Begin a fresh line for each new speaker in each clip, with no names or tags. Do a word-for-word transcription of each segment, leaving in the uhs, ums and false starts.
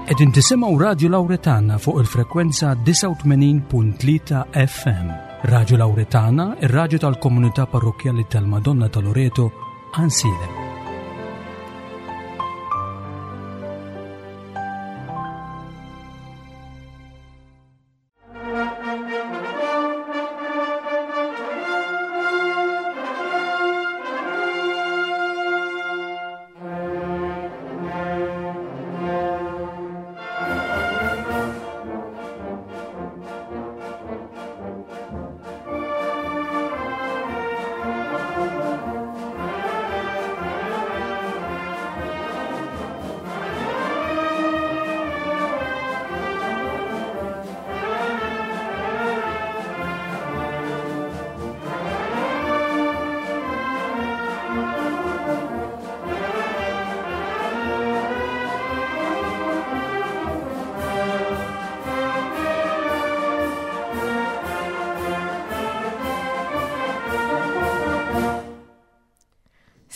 Qegħdin tisimgħu Radio Lauretana fuq il-frekwenza disgħa u tmenin punt tlieta F M. Radio Lauretana, ir-radju tal-Komunità Parrokkjali tal-Madonna ta' Loreto, Għajnsielem.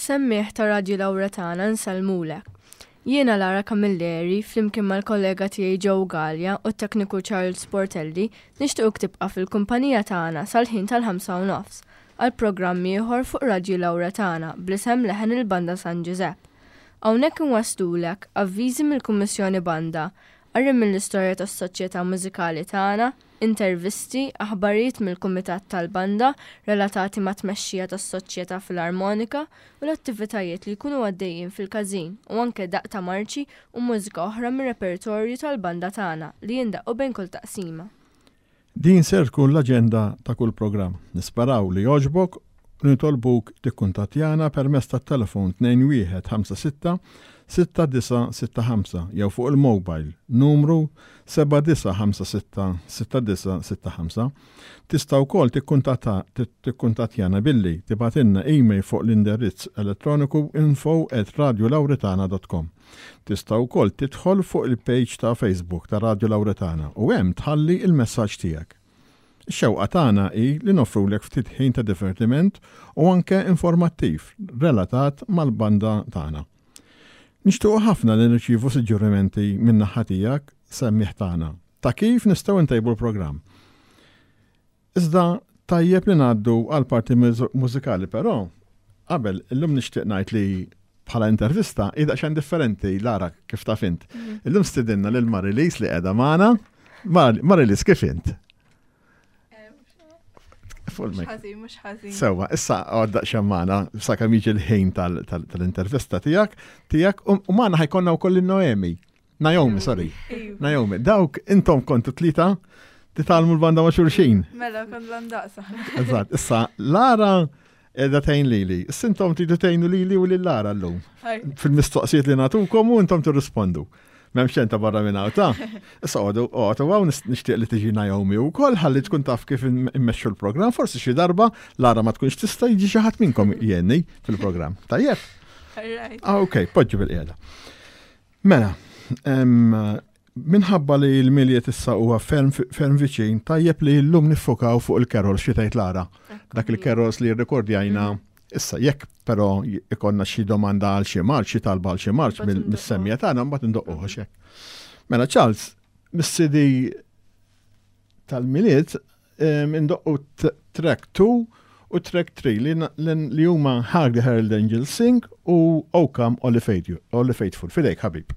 Semmiegħa ta' Radio Lauretana, nsellmulek. Jiena Lara Camilleri, flimkien mal-kollega tiegħi Joe Gallia u t-tekniku Charles Portelli, nixtiequk tibqa' fil-kumpanija tagħna sal-ħin tal-ħamsa u nofs għal programm ieħor fuq Radio Lauretana bl-isem Leħen il-Banda San Giuseppe. Hawnhekk inwasslulek avviżi mill-Kummissjoni Banda, qari mill-istorja tas-soċjetà mużikali tagħna, intervisti, aħbarijiet mill-Kumitat tal-Banda relatati ma' tmexxija tas-Soċjetà Filarmonika u l-attivitajiet li jkunu għaddejjin fil-każin u anke daqq ta' marċi u mużika oħra mir-repertorju tal-banda tagħna li jindaqqu bejn kull taqsima.
Din ser tkun l-aġenda ta' kull programm. Nisperaw li jogħġbok u nitolbuk tikkuntattjana permezz tat-telefon tnejn wieħed ħamsa sitta sitta disgħa sitta ħamsa jew fuq il-mobile numru seba' disgħa ħamsa sitta sitta disgħa sitta ħamsa. Tista' wkoll tikkuntattjana billi tibgħatilna email fuq l-indirizz elettroniku info at radiolauretana dot com. Tista' wkoll tidħol fuq il-page ta' Facebook ta' Radio Lauretana u hemm tħalli il-messaġġ tiegħek. Ix-xewqa tagħna hi li noffrulek ftit ħin ta' divertiment u anke informattiv relatat mal-banda tagħna. Nixtiequ ħafna li nirċievu suġġerimenti minn naħa tiegħek, semmiegħ tagħna, ta' kif nistgħu ntejbu l-programm. Iżda tajjeb li ngħaddu għal parti mużikali, però qabel, illum nixtieq ngħid li bħala intervista hi daqsxejn differenti, Lara, kif taf int. Mhm. Illum stidinna lil Marilis li qiegħda magħna. Marilis, kif int?
Mhux mhux ħażin.
Sewwa, issa għadda xammana, sakemm jiġi l-ħin tal-intervista tiegħek, tiegħek, u magħna ħa jkollna wkoll il-Noemi. Naomi, sorry. Naomi, dawk intom kontu tlieta titgħallmu l-banda ma' xulxin.
Mela, kont l-ndaqsa.
Eżatt, issa Lara qiegħda tgħin lili. Issa intom tridu tgħinu lili u lil Lara llum. Fil-mistoqsijiet li nagħtukom u intom tirrispondu. M'hemm xejn ta' barra minn ta' Issa għodu, għodu, għaw nixtieq li tiġi Naomi u koll, ħalli tkun taf kif immexxu l-programm. Forsi xi darba Lara ma tkunx tista', jiġi xi ħadd minnkom jgħinni fil-programm. Tajjeb? Ah, ok, poġġu bil-qiegħda. Mela, minħabba li l-Milied issa huwa ferm viċin, tajjeb li llum niffokaw fuq il-carols, xi tgħid, Lara? Dak il-carols li rrekordjajna mhm. Issa, jekk però ikollna xi domanda għal xi marċ, xi talba għal xi marċ mis-semmiegħa tagħna, mbagħad indoqquh hekk. Mela Charles, mis-C D tal-Milied indoqqu track two u track three li huma Hark the Herald Angels Sing u O Come All the Faithful. F'idejk, ħabib.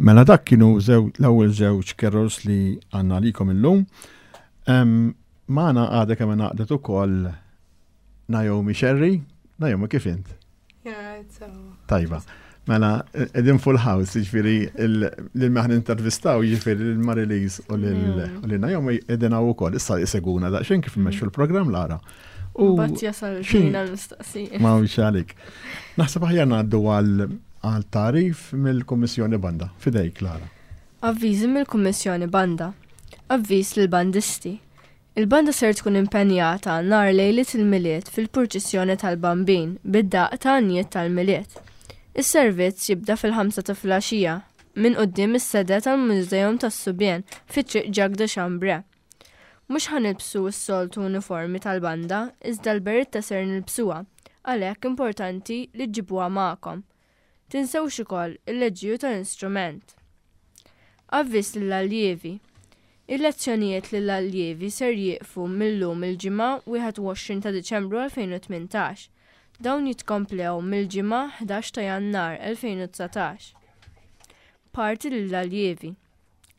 Mela dak kienu l-ewwel żewġ carols li għandna għalikom illum. Magħna għadha kemm ngħaqdet ukoll Naomi Sherry. Naomi, kif int? Tajba. Mela, qegħdin full house, jiġifieri lil min ħa nintervistaw, jiġifieri lil Marilise u lil Naomi qegħdin hawn ukoll. Issa jsegwuna daqsxejn kif immexxu l-programm Lara.
U bat jasal xina l-mistoqsija.
Ma għalik. Naħseb aħjar ngħaddu għal għal tagħrif mill-Kummissjoni Banda. Fidejk, Lara.
Avviżi mill-Kummissjoni Banda. Avviż lill-bandisti. Il-banda ser tkun impenjata nhar lejliet il-Milied fil-purċissjoni tal-Bambin bid-daqq ta' għanjiet tal-Milied. Is-servizz jibda fil-ħamsa ta' filgħaxija minn quddiem is-sede tal-Mużeum tas-Subien fi Triq Jacques de Chambray. Mhux ħa nilbsu s-soltu uniformi tal-banda, iżda l-beritta ser nilbsuha, għalhekk importanti li ġġibuha magħkom. Tinsewx ukoll il-leġiju tal-istrument. Avviż lill-alljievi. Il-lezzjonijiet lill-alljievi ser jieqfu mill-lum il-ġimgħa wieħed u għoxrin ta' Diċembru elfejn u tmintax. Dawn jitkomplew mill-ġimgħa ħdax ta' Jannar elfejn u dsatax. Parti lill-alljievi.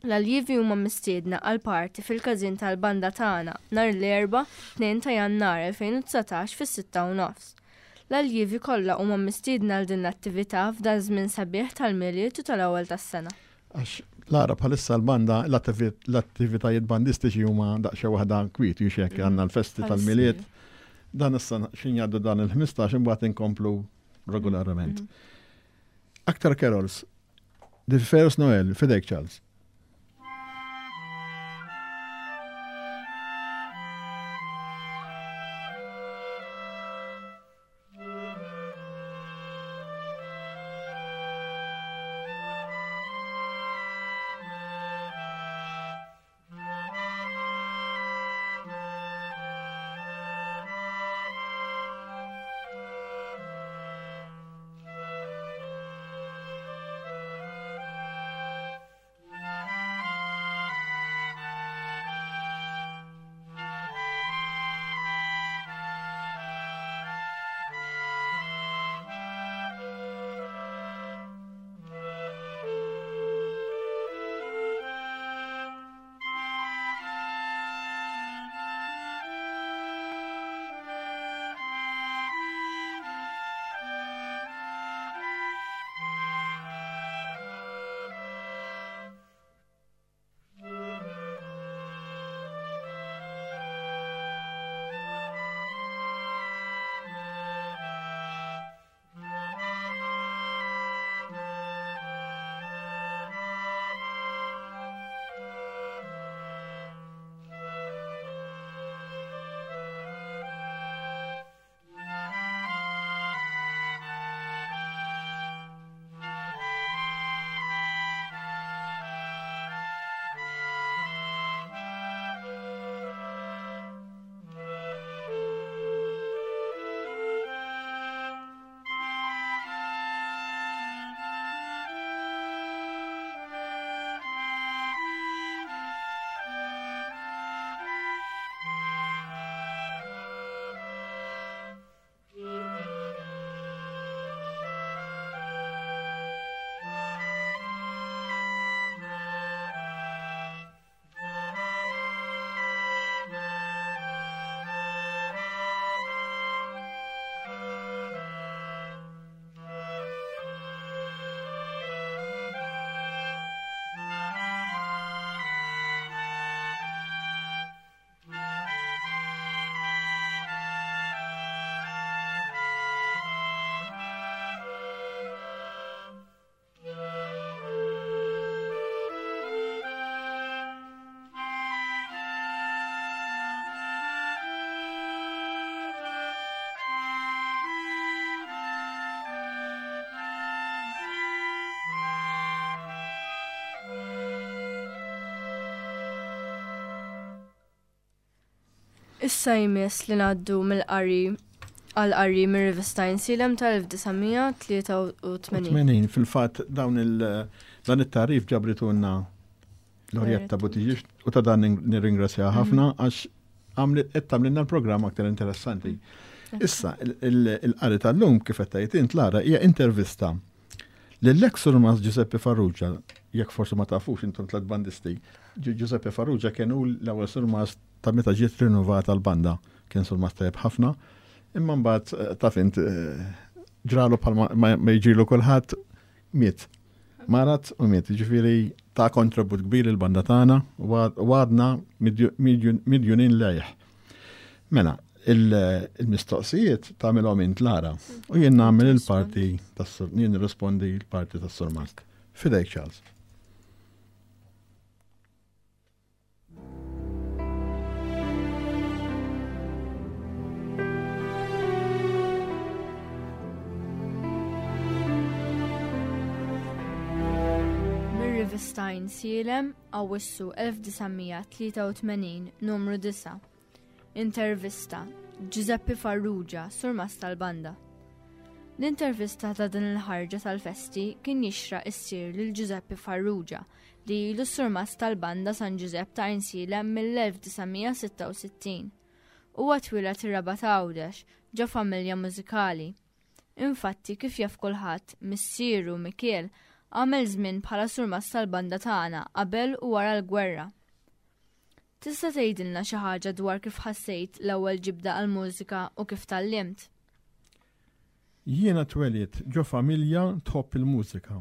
L-alljievi huma mistiedna għal parti fil-każin tal-banda tagħna nhar l-Erbgħa tnejn ta' Jannar elfejn u dsatax fis-sitta u nofs. L-alljievi kollha huma mistiedna għal din l-attività f'dan żmien sabiħ tal-Milied u tal-ewwel tas-sena.
Għax Lara bħalissa l-banda l-attivitajiet bandistiċi huma daqsxejn waħda kwiet u xek għandna l-festi tal-Milied. Dan issa xin jgħaddu dan il-ħmistax imbagħad inkomplu regolarment. Aktar carols. The First Noel, fidejk Charles.
Issa jmiss li ngħaddu mill-qari għal qari mir-rivista Għajnsielem tal-elf disa' tlieta u tmenin.
Tmenin, fil-fatt dawn il-, dan it-tarif ġabritulna Lorietta Buttigieg u ta' dan nirringrazzjaha ħafna għax għamlet qed tagħmlilna l-programm aktar interessanti. Issa, il-qari tal-lum kif qed tgħid int Lara hija intervista lill-ex Surmas Giuseppe Farrugia Jekk forsi ma tafux intom tliet bandisti, Giuseppe Farrugia kien hu l-ewwel surmast ta' meta ġiet rinnovata l-banda, kien surmast tajjeb ħafna, imma mbagħad eh, taf int eh, ġralu bħal ma jiġrilu kulħadd miet. Marad u miet, ġifieri ta' kontribut kbir il-banda tagħna u għadna midjunin lejh. Mela, il-mistoqsijiet tagħmilhom int Lara u jien nagħmel il-parti tas-sur, jien nirrispondi l-parti tas-surmast. Fidejk Charles.
Mir-rivista Għajnsielem, Awwissu elf disa' mija tlieta u tmenin, numru disa'. Intervista Giuseppe Farrugia, surmast tal-banda. L-intervista ta' din il-ħarġa tal-festi kien jixraq issir lil Giuseppe Farrugia li ilu surmast tal-banda San Giuseppe ta' Għajnsielem mill-elf disa' mija sitta u sittin. Huwa twieled ir-Rabat Għawdex ġo familja mużikali. Infatti, kif jaf kulħadd, missieru Mikiel għamel żmien bħala surmast tal-banda tagħna qabel u wara l-gwerra. Tista' tgħidilna xi ħaġa dwar kif ħassejt l-ewwel ġibda għall-mużika u kif tgħallimt?
Jiena twelidt ġo familja tħobb il-mużika.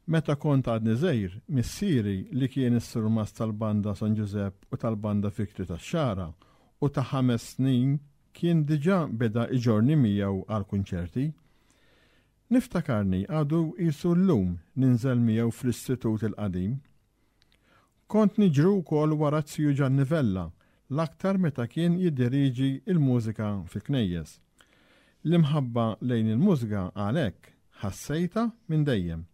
Meta kont għadni żgħir, missieri li kien is-surmast tal-banda San Giuseppe u tal-banda Victory tax-Xagħra u ta' ħames snin kien diġà beda iġorni miegħu għal kunċerti. Niftakarni għadu qisu llum ninżel miegħu fl-istitut il-qadim. Kont niġru wkoll wara ziju Gianni Vella, l-aktar meta kien jiddiriġi il-mużika fil-knejjes. L-imħabba lejn il-mużika għalhekk ħassejta minn dejjem.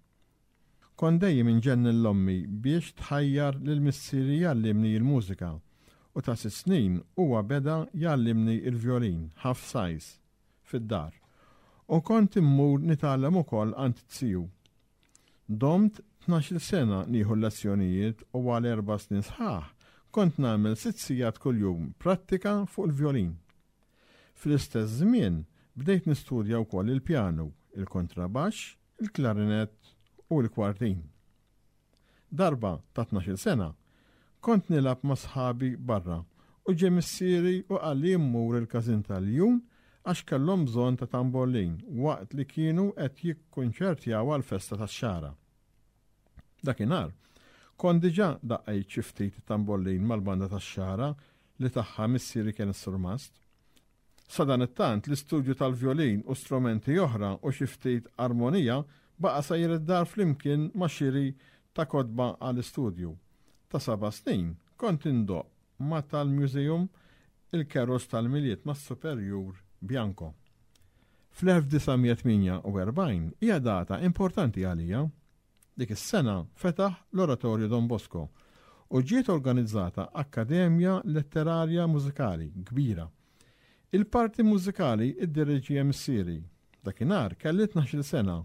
Kont dejjem inġenni l-ommi biex tħajjar lil missieri jgħallimni l-mużika u ta' sitt snin huwa beda jgħallimni l-vjolin half size fid-dar. U kont immur nitgħallem ukoll għand ziju. Domt tnax-il sena nieħu l-lezzjonijiet u għal erba' snin sħaħ kont nagħmel sitt sigħat kuljum prattika fuq il-vjolin. Fl-istess żmien bdejt nistudja wkoll il-pjanu, il-kontrabaxx, il-klarinett u l-kwartin. Darba ta' tnax-il sena kont nilgħab ma' sħabi barra u ġie missieri u qalli mmur il-każin tal-Ljun għax kellhom bżonn ta' tambollin waqt li kienu qed jikkunċertjaw għall-festa tax-Xagħra. Dakinhar kont diġà daqqejt xi ftit tambollin mal-banda tax-Xagħra li tagħha missieri kien is-surmast. Sadanittant l-istudju tal-vjolin u strumenti oħra u xi ftit armonija baqa' sejjer id-dar flimkien ma' xiri ta' kotba għall-istudju. Ta' seba' snin kont indoqq ma' tal-Museum il-Keros tal-Milied mas-Superjur Bianco. Fl-elf disa' mija tmienja u erbgħin hija data importanti għalija. Dik is-sena fetaħ l-Oratorju Don Bosco u ġiet organizzata Akkademja Letterarja Mużikali kbira. Il-parti mużikali iddiriġi missieri. Dakinhar kelli tnax-il sena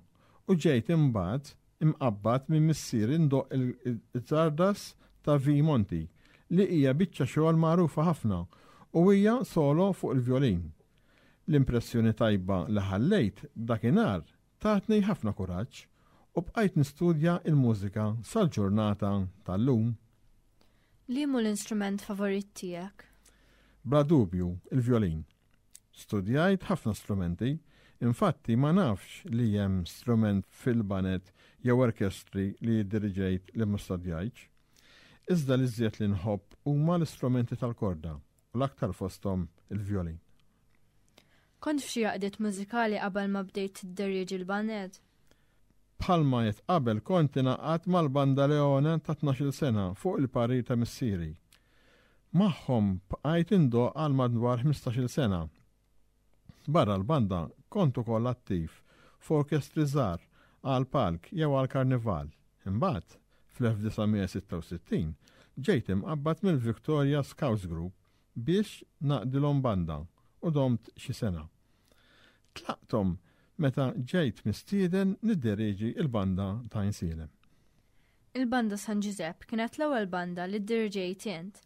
u ġejt imbagħad imqabbad minn missieri ndoqq il-Zardas ta' V. Monti li hija biċċa xogħol magħrufa ħafna u hija solo fuq il-vjolin. L-impressjoni tajba li ħallejt dakinhar tatni ħafna kuraġġ u bqajt nistudja il-mużika sal-ġurnata tal-lum.
Liema l-instrument favorit tiegħek?
Bla dubju, il-vjolin. Studjajt ħafna strumenti, infatti ma nafx li hemm strument fil-banet jew orkestri li jiddiriġejt li ma studjajtx. Iżda li żjed li nħobb huma l-istrumenti tal-korda u l-aktar fosthom il-vjolin.
Kont f'xi għaqdiet mużikali qabel ma bdejt tidderieġi l-banet?
Bħalma qed qabel kont ingħaqadt mal-Banda Leone ta' tnax-il sena fuq il-parir ta' missieri. Magħhom bqajt indoqq għal madwar ħmistax-il sena. Barra l-banda kont ukoll attiv f'orkestri żgħar għal palk jew għal karnival. Imbagħad fl-elf disa' mija sitta u sittin ġejt imqabbad mill-Victoria Scouts Group biex naqdilhom banda u domt xi sena. Tlaqthom meta ġejt mistieden nidderieġi il-banda ta' Għajnsielem.
Il-banda San Giuseppe kienet l-ewwel banda li ddirġejt int.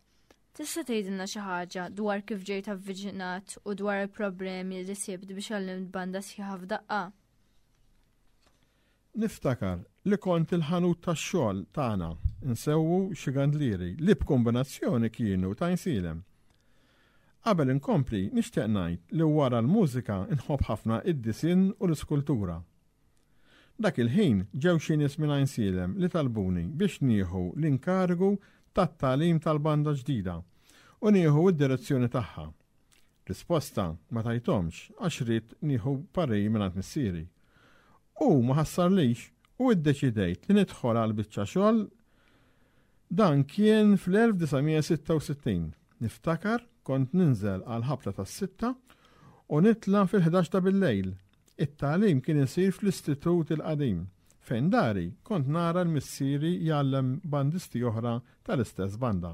Tista' tgħidilna xi ħaġa dwar kif ġejt avviċinat u dwar il-problemi li sibt biex għallimt banda sħiħa f'daqqa?
Niftakar li kont il-ħanut tax-xogħol tagħna nsewwu xi gandlieri li b'kombinazzjoni kienu ta' Għajnsielem. Qabel inkompli nixtieq ngħid li wara l-mużika nħobb ħafna id-disinn u l-iskultura. Dak il-ħin ġew xi nies minn Għajnsielem li talbuni biex nieħu l-inkarigu tat-tagħlim tal-banda ġdida u nieħu d-direzzjoni tagħha. Risposta ma tajthomx għax ridt nieħu parir mingħand missieri. U ma ħassarlix u iddeċidejt li nidħol għal biċċa xogħol. Dan kien fl-elf disa' mija sitta u sittin. Niftakar kont ninżel għal ħabta tas-sitta u nitla' fil-ħdax ta' bil-lejl. It-tagħlim kien isir fl-istitut il-qadim, fejn dari kont nara l-missieri jgħallem bandisti oħra tal-istess banda.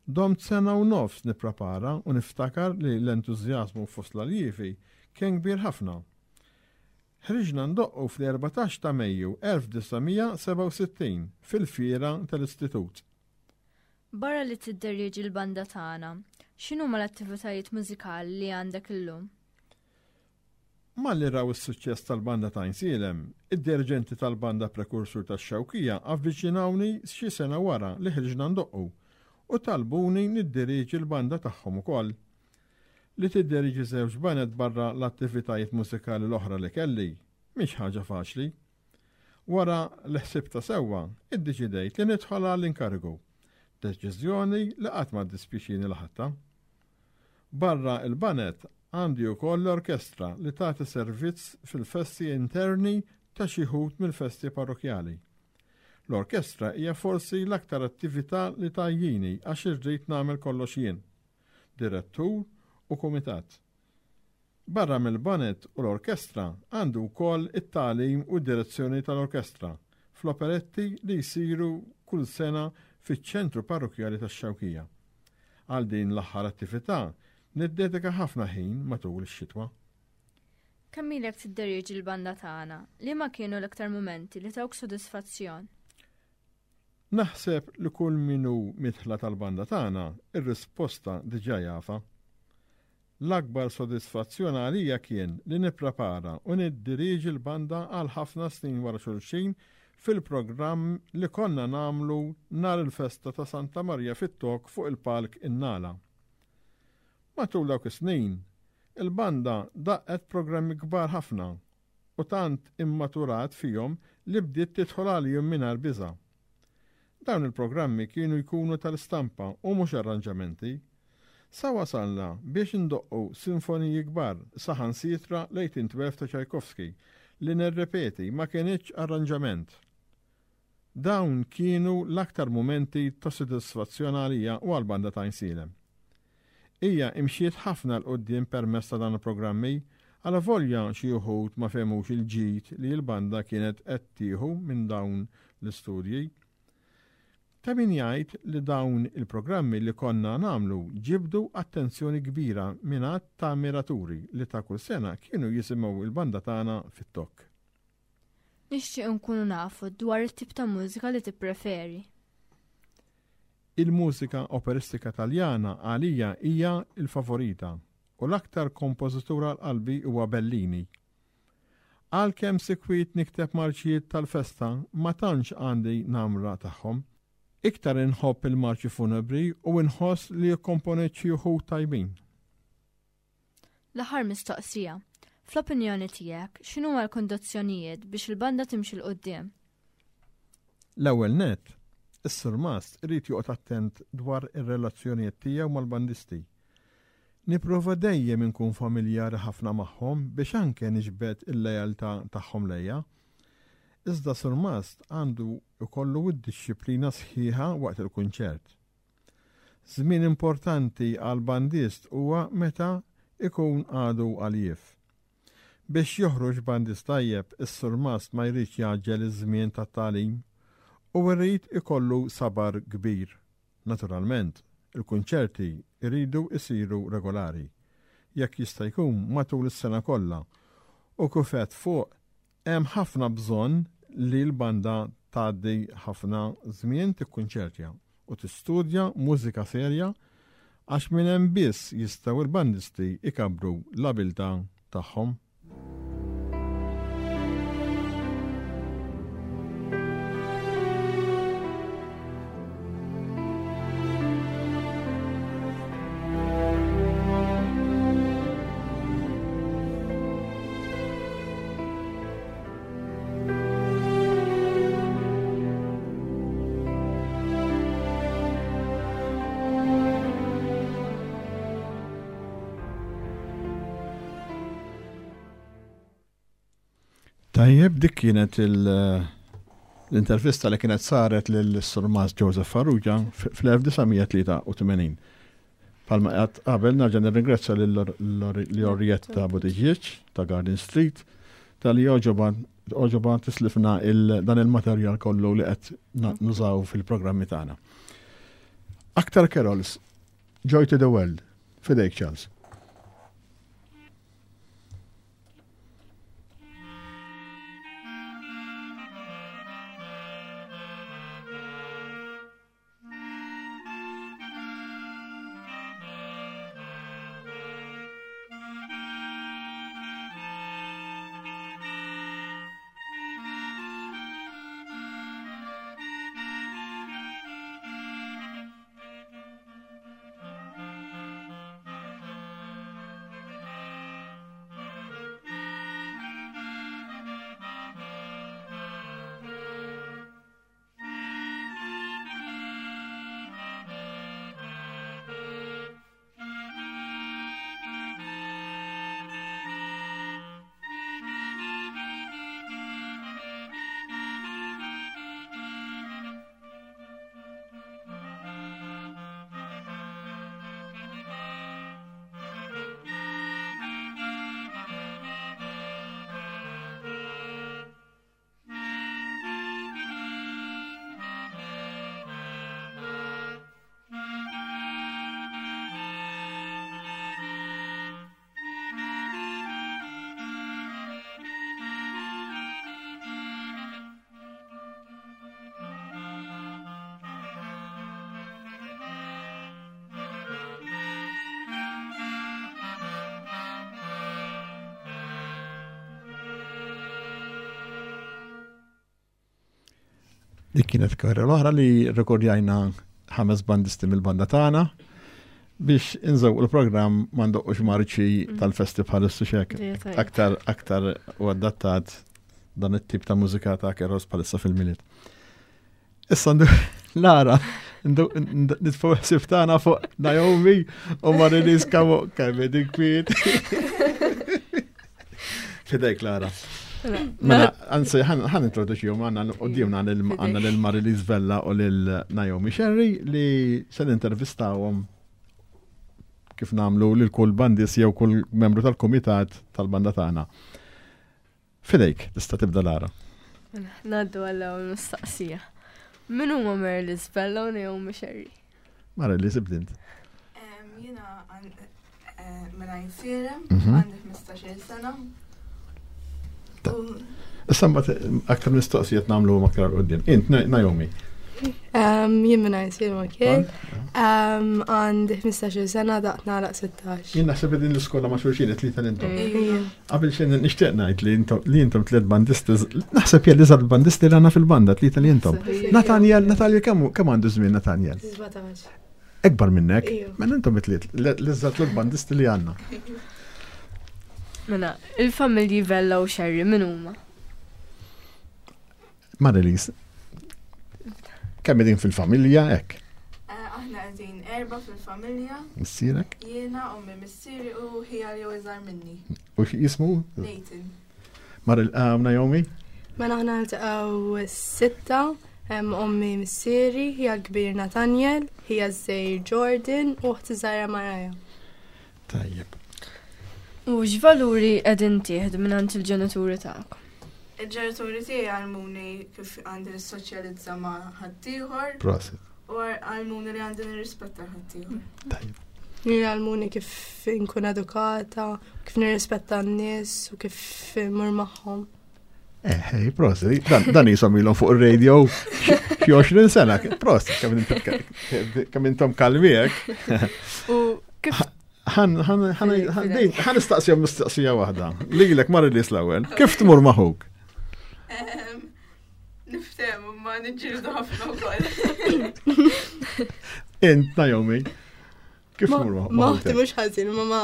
Domt sena u nofs nipprepara u niftakar li l-entużjażmu fost l-aljievi kien kbir ħafna. Ħriġna ndoqqu fl-erbatax ta' Mejju elf disa' mija sebgħa u sittin fil-fiera tal-istitut.
Barra li tidderieġi l-banda tagħna, x'inhuma l-attivitajiet mużikali li għandek illum?
Malli raw is-suċċess tal-banda ta' Għajnsielem, id-dirigenti tal-banda prekursur tax-Xewkija avviċinawni xi sena wara li ħriġna ndoqqu u talbuni niddiriġi l-banda tagħhom ukoll. Li tiddiriġi żewġ baned barra l-attivitajiet mużikali l-oħra li kelli, mhix ħaġa faċli. Wara li ħsibta sewwa, iddeċidejt li nidħol għall-inkarigu. Deċiżjoni li qatt ma ddispjaċini li ħadtha. Barra il-banet għandi wkoll l-orkestra li tagħti servizz fil-festi interni ta' xi wħud mill-festi parrokjali. L-orkestra hija forsi l-aktar attività li tgħajjini għax irrid nagħmel kollox jien, direttur u kumitat. Barra mill-banet u l-orkestra għandu wkoll it-tagħlim u d-direzzjoni tal-orkestra fl-operetti li jsiru kull sena fiċ-ċentru parrokjali tax-Xewkija. Għal din l-aħħar attività niddedika ħafna ħin matul ix-xitwa.
Kemm ilek tidderieġi l-banda tagħna? Liema kienu l-iktar mumenti li tawk sodisfazzjon?
Naħseb li kull min hu midħla tal-banda tagħna ir-risposta diġà jafa. L-akbar sodisfazzjon għalija kien li nipprepara u niddirieġi l-banda għal ħafna snin wara xulxin fil-programm li konna nagħmlu nhar il-festa ta' Santa Marija fit-Tok fuq il-palk in-Nala. Matul dawk is-snin, il-banda daqqet programmi kbar ħafna u tant immaturat fihom li bdiet tidħol għalihom mingħajr biża'. Dawn il-programmi kienu jkunu tal-istampa u mhux arranġamenti. Sa wasalna biex indoqqu sinfoniji kbar saħansitra l-eighteen twelve ta' Tchaikovsky li nirrepeti ma kienx arranġament. Dawn kienu l-aktar mumenti ta' sodisfazzjon għalija u għall-banda ta' Għajnsielem. Hija imxiet ħafna 'l quddiem permezz ta' dan il-programmi, għala volja xi wħud ma fehmux il-ġid li l-banda kienet qed tieħu minn dawn l-istudji. Ta' min jgħid li dawn il-programmi li konna nagħmlu ġibdu attenzjoni kbira minn għadd ta' ammiraturi li ta' kull sena kienu jisimgħu il-banda tagħna fit-Tok.
Nixtieq nkunu nafu dwar it-tip ta' mużika li tippreferi.
Il-mużika operistika Taljana għalija hija l-favorita u l-aktar kompożitur għal qalbi huwa Bellini. Għalkemm sikwit nikteb marċijiet tal-festa ma tantx għandi namra tagħhom. Iktar inħobb il-marċi funebri u inħoss li jikkomponejt xi wħud tajbin.
L-aħħar mistoqsija. Fl-opinjoni tiegħek, x'inhuma l-kondizzjonijiet biex il-banda timxi 'l quddiem?
L-ewwel nett, is-surmast irid joqgħod attent dwar ir-relazzjonijiet tiegħu mal-bandisti. Nipprova dejjem inkun familjari ħafna magħhom biex anke niġbed il-lealtà tagħhom lejja. Iżda surmast għandu jkollu d-dixxiplina sħiħa waqt il-kunċert. Żmien importanti għal bandist huwa meta ikun għadu għaljif. Biex joħroġ bandist tajjeb, is-surmast ma jridx jgħaġġel iż-żmien tat-tagħlim u jrid ikollu sabar kbir. Naturalment, il-kunċerti jridu jsiru regolari, jekk jista' jkun matul is-sena kollha, u kif għedt fuq hemm ħafna bżonn li l-banda tgħaddi ħafna żmien tikkunċertja u tistudja mużika serja għax minn hemm biss jistgħu l-bandisti ikabbru l-abilità tagħhom. Tajjeb, dik kienet l-intervista li kienet saret lil-Surmas Joseph Farrugia fl-elf disa' mija tlieta u tmenin. Palma għad qabel nerġa' nirringrazzja lil Orietta Buttigieg ta' Garden Street tal-li oġoba tislifna dan il-materjal kollu li qed nużaw fil-programmi tagħna. Aktar carols, Joy to the World, fidejk Charles. Dik kienet karriera l-oħra li rekordjajna ħames bandisti mill-banda tagħna biex inżewqu l-programm ma ndoqqux marċi
Mm.
tal-festi bħal xek.
Dejja tajjeb.
Aktar, aktar u adattat dan it-tip ta' mużika ta' carols bħalissa fil-Milied. Issa ndu Lara, ndu-, ndu-, nitfgħu ħsieb tagħna fuq Naomi u Marilis Kamo kemm dik kwiet. Fidejk Lara. Mela, anzi, ħan, ħan introduċihom għandna qudiemna għandna lil Marilis Vella u lil Naomi Scerri li se nintervistawhom kif nagħmlu lil kull bandis jew kull membru tal-kumitat tal-banda tagħna. Fidejk, tista' tibda Lara.
Mela, ngħaddu għall-ewwel mistoqsija. Min huma Marilis Vella u Naomi Scerri?
Marilis, ibdint.
Em, jiena għan-, eh, mela jinsielem,
Mhm.
għandi ħmistax-il sena.
Ta-
U
Issa mbagħad aktar mistoqsijiet nagħmlu aktar 'l quddiem. Int, Na-, Naomi.
Em, jien minn Għajnsielem ukoll. Em, għandi ħmistax-il sena, daqt nagħlaq sittax.
Jien naħseb din l-iskola ma' xulxin it-tlieta li intom.
Ejja.
Qabel xejn nixtieq ngħid li intom, li intom tliet bandisti, naħseb jien l-iżgħar bandisti li għandna fil-banda, tlieta li intom.
Ejja.
Nathaniel, Nathaniel, kemm, kemm għandu żmien Nathaniel?
Sbatax.
Ekbar minnek.
Ejja.
Mela intom it-tliet, l-, l-iżgħar tliet bandisti li għandna.
Mela, il-familji Vella u Scerri min huma?
Marilis, kemm qegħdin fil-familja hekk?
Eh, aħna qegħdin erba' fil-familja.
Missierek?
Jiena, ommi, missieri u ħija li hu iżgħar minni.
U x'jismu?
Nathan.
Maril, eh, Naomi?
Mela aħna niltaqgħu sitta, hemm ommi, missieri, ħija l-kbir Nathaniel, ħija ż-żgħir Jordan u oħti żgħira Maraja.
Tajjeb.
U x'valuri qegħdin tieħdu mingħand il-ġenituri tagħkom?
Il-ġenituri tiegħi għallmuni kif għandi nissoċjalizza ma' ħaddieħor.
Prosit.
U għallmuni li għandi nirrispetta ħaddieħor.
Tajjeb.
Għallmuni kif nkun edukata, kif nirrispetta n-nies u kif immur magħhom.
Eh, hej, prosit. Dan, dan jisom ilhom fuq ir-radio xi għoxrin sena. Prosit, kemm intom ka-, kemm intom kalmi hekk.
U kif
Ħan, ħan, ħan,
Fidejk,
ħan,
fidejk.
ħan nistaqsija mistoqsija waħda. Lilek Marilis l-ewwel. Kif tmur maħuk?
Ehm, niftehmu ma niġġieldu ħafna wkoll.
Int, Naomi, kif
Ma-
tmur ma-,
Ma
maħuk?
uħti mhux ħażin, ma ma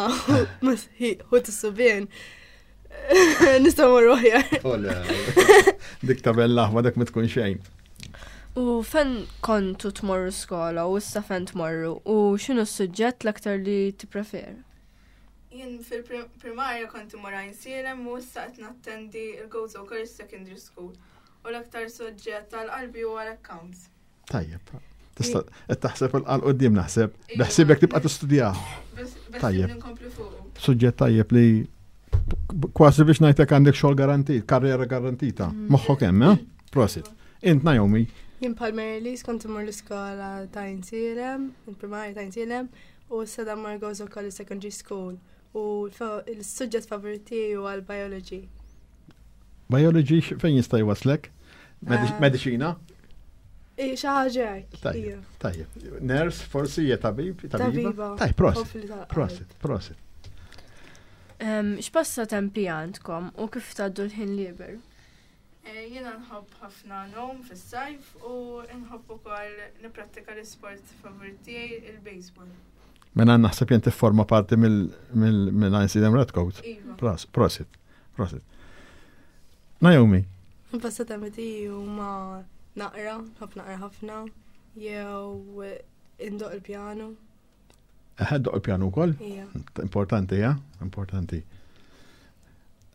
ma ħut is-subien. Nistgħu mmorru aħjar.
Ole, dik tabella aħma dak ma tkun xejn.
U fejn kontu tmorru skola u issa fejn tmorru u x'inhu s-suġġett l-aktar li tippreferu?
Jien fil-primarja kont imur Għajnsielem u issa qed nattendi il-Gozo College Secondary School. U l-aktar soġġett tal-qalbi huwa l-accounts.
Tajjeb. Tista' qed taħseb 'il quddiem naħseb. Beħsibek tibqa' tistudjah.
Tajjeb. Nkompli fuq.
Suġġett tajjeb li kważi biex ngħidlek għandek xogħol garantit, karriera garantita. Mm. Moħħok hemm, eh? Prosit. Int Naomi.
Jien bħal Mary kont imur l-iskola ta' Għajnsielem, il-primarja ta' Għajnsielem, u issa mmur Gozo College Secondary School. U l-suġġett favorit tiegħi huwa l-biology.
Biology fejn jista' jwaslek? Eh, Mediċina?
Xi ħaġa hekk.
Tajjeb, tajjeb. Nurse, forsi hija tabib,
tabiba.
Tajjeb, prosit. Prosit, prosit.
X'passatempi għandkom u kif tgħaddu l-ħin liberu?
Eh, jiena nħobb ħafna ngħum fis-sajf u nħobb ukoll nipprattika l-isport favorit tiegħi il-baseball.
Mela naħseb jien tifforma parti mill-Għajnsielem Redcoat.
Iva.
Prosit, prosit. Naomi.
Passatempi tiegħi huma naqra, nħobb naqra ħafna, jew indoqq il-pjanu.
Eħe, ddoqq il-pjanu wkoll?
Ija.
Importanti, ja? Importanti.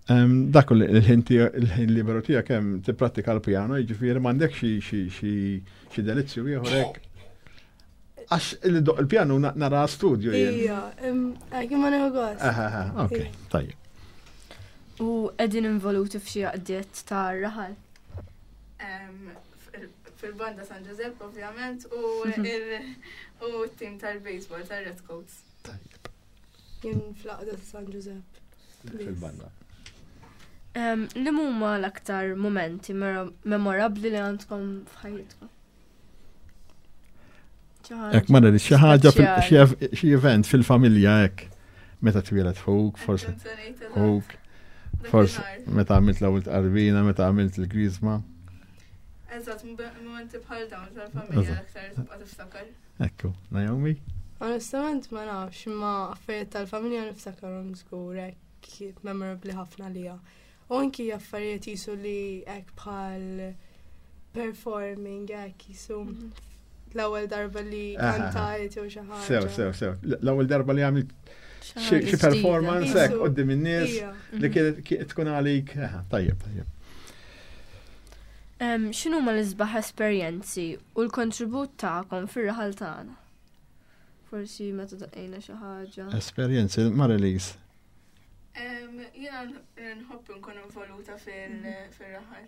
Dak il-ħin liberu tiegħek hemm tipprattika l-pjano, jiġifieri m'għandek xi delizzju ieħor hekk. Għax il-pjanu nara studio
jien. Ija, għak ma nieħu gost.
Ok, tajjeb.
U qegħdin involuti f'xi għaqdiet ta' raħal?
Fil-banda San Giuseppe, ovvjament, u t-tim tal-baseball tal-Red Coats.
Tajjeb.
Jien fl-għaqda ta' San Giuseppe.
Fil-banda.
Li huma l-aktar momenti memorabli li għandkom f'ħajjitkom?
Hekk ma xi ħaġa xi event fil-familja hekk. Meta twieled ħuk, forsi ħuk, forsi meta għamilt l-ewwel tqarbina, meta għamilt il-griżma.
Eżatt, momenti bħal dawn tal-familja l-aktar tibqa' tiftakar.
Ekku, Naomi?
Onestament ma nafx, imma affarijiet tal-familja niftakarhom żgur hekk memorabli ħafna lija. U anki affarijiet jisu li hekk bħal performing hekk jisu l-ewwel darba li kantajt jew xi ħaġa.
Sew, sew, sew. L-ewwel darba li għamilt xi performance hekk quddiem in-nies li kienet tkun għalik. Tajjeb, tajjeb.
X'inhuma l-isbaħ esperjenzi u l-kontribut tagħkom fir-raħal tagħna? Forsi meta daqqejna xi ħaġa.
Esperjenzi, Marilise.
Jiena nħobb nkun involuta fil-raħal.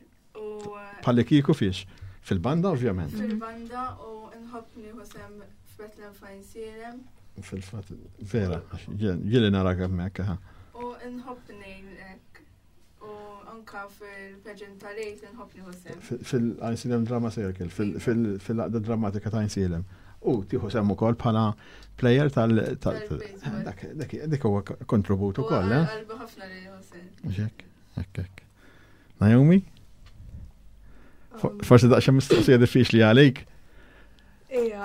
Bħalli kieku fiex? Fil-banda, ovvjament.
Fil-banda u nħobb nieħu sehem f'Bethlehem f'Għajnsielem.
Fil-fatt, vera, ġieli narak hemmhekk.
U nħobb ngħin hekk. U anka fil-pageant tal-Għid nħobb nieħu sehem.
Fil-Għajnsielem Drama Circle, fil-għaqda drammatika ta' Għajnsielem. U tieħu sehem ukoll bħala player tal dak huwa kontribut ukoll, eh?
Qalbi ħafna li nieħu sehem.
Hekk, hekk, hekk. Naomi? Forsi daqsxejn mistoqsija diffiċli għalik.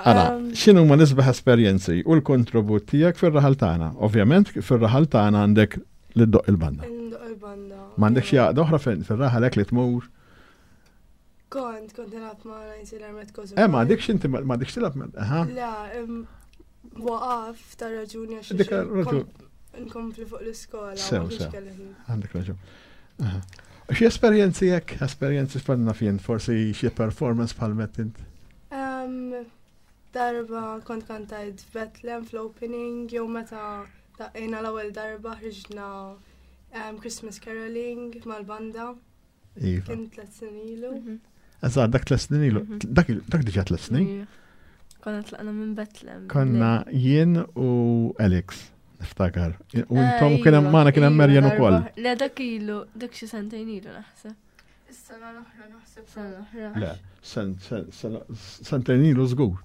Ara, x'inhu ma l-isbaħ esperjenzi u l-kontribut tiegħek fir-raħal tagħna? Ovvjament fir-raħal tagħna għandek li ddoqq il-banda.
Ndoqq il-banda.
M'għandek xi għaqda oħra fir-raħal hekk li tmur?
Kont, kont nilgħab ma' Għajnsielem Red Coats.
Eh, ma għandekx inti ma għandekx tilgħab aha.
Le, waqaf ta' raġuni għax
Dik raġuni.
Nkompli fuq l-iskola.
Sew, sew. Għandek raġun. Xi esperjenzi hekk, esperjenzi x'fanna fien, forsi xi performance bħal mett int?
Darba kont kantajt f'Bethlehem fl-opening, jew meta daqqejna l-ewwel darba ħriġna Christmas caroling mal-banda.
Iva.
Kien tliet snin ilu.
Eżatt, dak tliet snin ilu. Dak dak diġà tliet snin.
Konna tlaqna minn Bethlehem.
Konna jien u Alex, niftakar. U intom kien hemm magħna kien hemm Marian ukoll.
Le dak ilu, dak xi sentejn ilu naħseb.
Is-sena l-oħra naħseb.
Sena l-oħra.
Le, sentejn ilu żgur.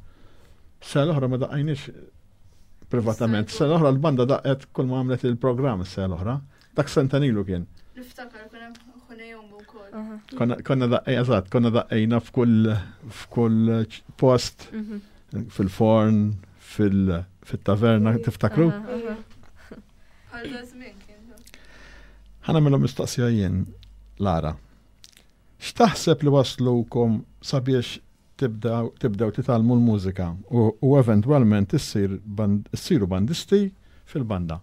Sena l-oħra ma daqqajniex privatament. Sena l-oħra l-banda daqqet kull ma għamlet il-programm is-sena l-oħra. Dak sentejn ilu kien.
Niftakar kien hemm ħunejhom ukoll.
Konna daqqej, eżatt, konna daqqejna f'kull f'kull post, fil-forn, fil-taverna, tiftakru?
Għal żmien kien.
Ħa nagħmilhom mistoqsija jien, Lara. X'taħseb li waslukom sabiex tibdew titgħallmu l-mużika u eventwalment issiru bandisti fil-banda?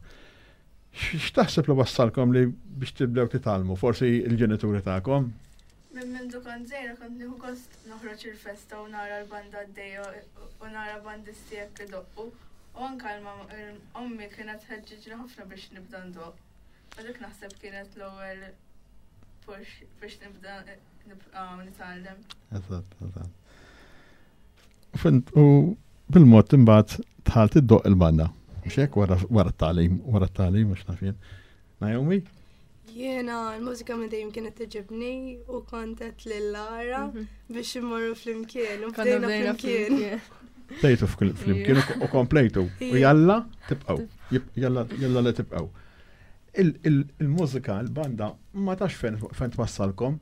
X'taħseb li wassalkom li biex tibdew titgħallmu, forsi il-ġenituri tagħkom?
Minn mindu kont żgħira kont nieħu gost noħroġ il-festa u nara l-banda għaddejja u nara bandisti hekk idoqqu. U anke ommi kienet tħeġġiġni ħafna biex nibda ndoqq. U dik naħseb kienet l-ewwel push biex nibda nibqa' nitgħallem.
Eżatt, eżatt. U bil-mod imbagħad dħalt iddoqq il-banda. Mhux hekk wara wara t-tagħlim, wara t-tagħlim mhux naf jien. Naomi?
Jiena l-mużika minn dejjem kienet togħġobni u kont għedt lil Lara
Mhm.
biex immorru flimkien u
Konna
bdejna
bdejna
flimkien.
flimkien.
Bdejtu flimkien u komplejtu. U jalla tibqgħu. Jalla jalla li tibqgħu. Il-mużika, il-banda, ma tafx fejn fejn twassalkom.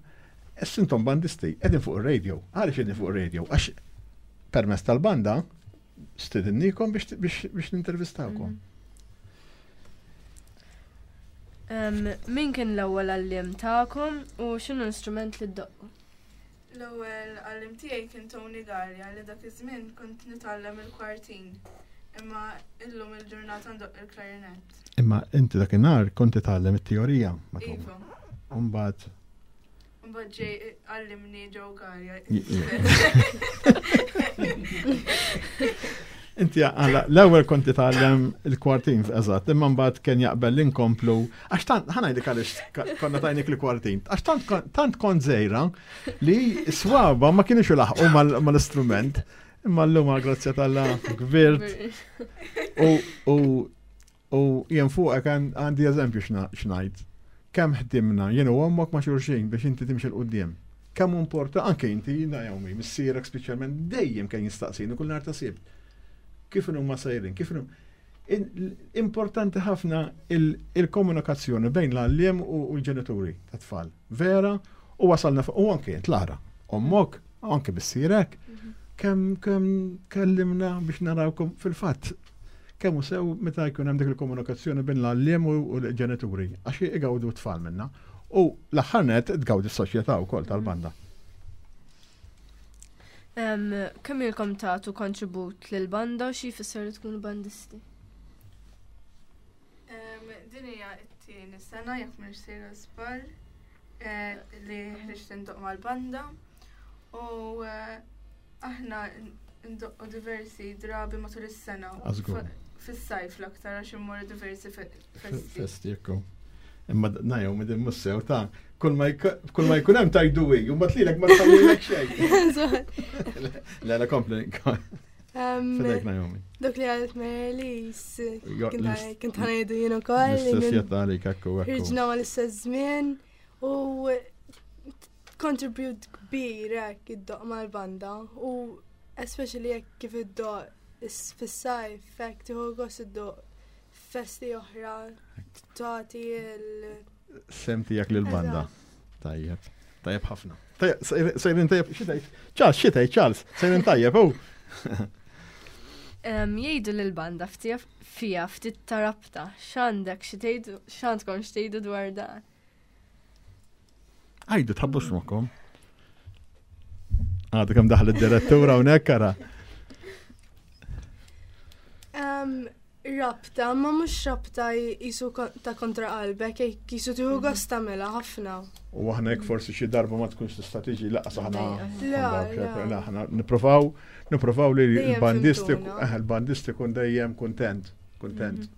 Issa intom bandisti, qegħdin fuq ir-radio. Għaliex qegħdin fuq ir-radio? Għax permezz tal-banda stidinnikom biex biex biex nintervistawkom.
Em, Min kien l-ewwel għalliem tagħkom u x'inhu l-istrument li ddoqqu?
L-ewwel għalliem tiegħi kien Tony Gallia li dak iż-żmien kont nitgħallem il-kwartin. Imma illum il-ġurnata ndoqq il-klarinett.
Imma inti dakinhar kont titgħallem it-teorija ma' Tony.
Iva.
Umbagħad
Mbagħad ġej għallimni Joe Gallia.
Inti għala, l-ewwel kont titgħallem il-kwartin eżatt, imma mbagħad kien jaqbel li nkomplu għax tant ħa ngħidlek għaliex konna tajnik il-kwartin, għax tant tant kont żgħira li swaba ma kienux ilaħqu mal-istrument, imma llum għal grazzja t'Alla kbirt u u u jien fuqek għandi eżempju x'ngħid. Kemm ħdimna jien u ommok ma' xulxin biex inti timxi 'l quddiem. Kemm importa anke inti Naomi, missierek speċjalment dejjem kien jistaqsini kull nhar ta' Sibt. Kif huma sejrin, kif Importanti ħafna il-komunikazzjoni bejn l-għalliem u l-ġenituri ta' tfal. Vera, u wasalna u anke int Lara, ommok, anke missierek, kemm kemm kellimna biex narawkom fil-fatt kemm hu sew meta jkun hemm dik il-komunikazzjoni bejn l-għalliem u l-ġenituri, għax igawdu t-tfal minna. U l-aħħar net tgawdi s-soċjetà wkoll tal-banda.
Kemm ilkom tagħtu kontribut lill-banda u xi jfisser li tkunu bandisti?
Din hija t-tieni sena jekk m'iniex sejra żball eh, li ħriġt indoqq mal-banda u eh, aħna ndoqqu diversi drabi matul is-sena. Fis-sajf l-aktar għax immorru diversi festi.
Festi jekku. Imma Naomi din mhux sew ta' kull ma jkun hemm tajdu wi, u mbagħad lilek ma tħallilek xejn. Le, le, kompli. Fidejk Naomi.
Dak li qalet Mary-Lis, kont ħa ngħidu jien ukoll.
L-istess jgħid ekku, ekku.
Ħriġna mal-istess żmien u contribute kbir hekk iddoqq mal-banda u especially jekk kif iddoqq fis-sajf hekk tieħu gost iddoqq festi oħra tagħti il-
Sehem tiegħek lill-banda. Tajjeb. Tajjeb ħafna. Sejrin tajjeb, xi tgħid? Charles, xi tgħid Charles? Sejrin tajjeb, u.
Jgħidu l-banda fija ftit ta' rabta, x'għandek xi tgħidu, x'għandkom x'tgħidu dwar dan?
Għajdu tħabbux moħħkom. Għadu kemm daħal id-direttura hawnhekk ara.
Rabta, ma mhux rabta jisu ta' kontra qalbek, jisu tieħu mhm. gost tagħmilha ħafna.
U aħna jekk forsi xi darba ma tkunx tista' tiġi laqas aħna. Aħna nippruvaw nippruvaw li l-bandisti eh, l-bandisti kun dejjem kuntent, kuntent. Mhm.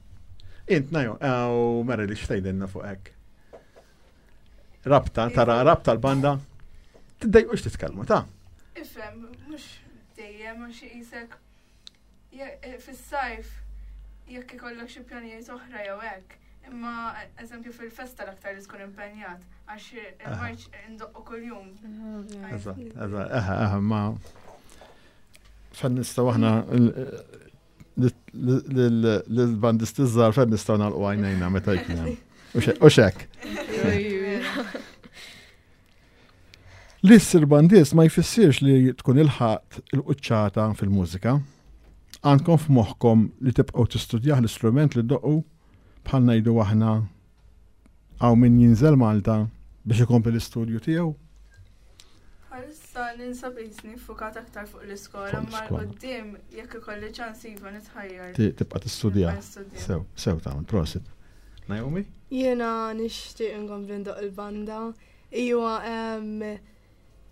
Int Najo, u Mary li x'tgħidilna fuq hekk. Rabta, tara rabta l-banda, tiddejqux titkellmu ta'
Ifhem, mhux dejjem għax jisek eh, fis-sajf jekk ikollok xi pjanijiet oħra jew hekk. Imma eżempju fil-festa l-aktar li tkun impenjat għax il-marċ indoqqu kuljum.
Eżatt, eżatt, eħe, eħe, ma fejn nistgħu aħna l-bandisti żgħar fejn nistgħu nagħlqu għajnejna meta jkun hemm. U xek. Li ssir bandist ma jfissirx li tkun ilħaqt il-quċċata fil-mużika. Għandkom f'moħħkom li tibqgħu tistudjah l-istrument li ddoqqu bħal ngħidu aħna hawn min jinżel Malta biex ikompli l-istudju tiegħu?
Bħalissa ninsab qisni ffukat aktar fuq l-iskola, ma l-qoddim jekk ikolli ċans iva nitħajjar.
Tibqa' tistudja. Sew, sew tagħmel, prosit. Naomi?
Jiena nixtieq inkompli ndoqq il-banda. Iwa,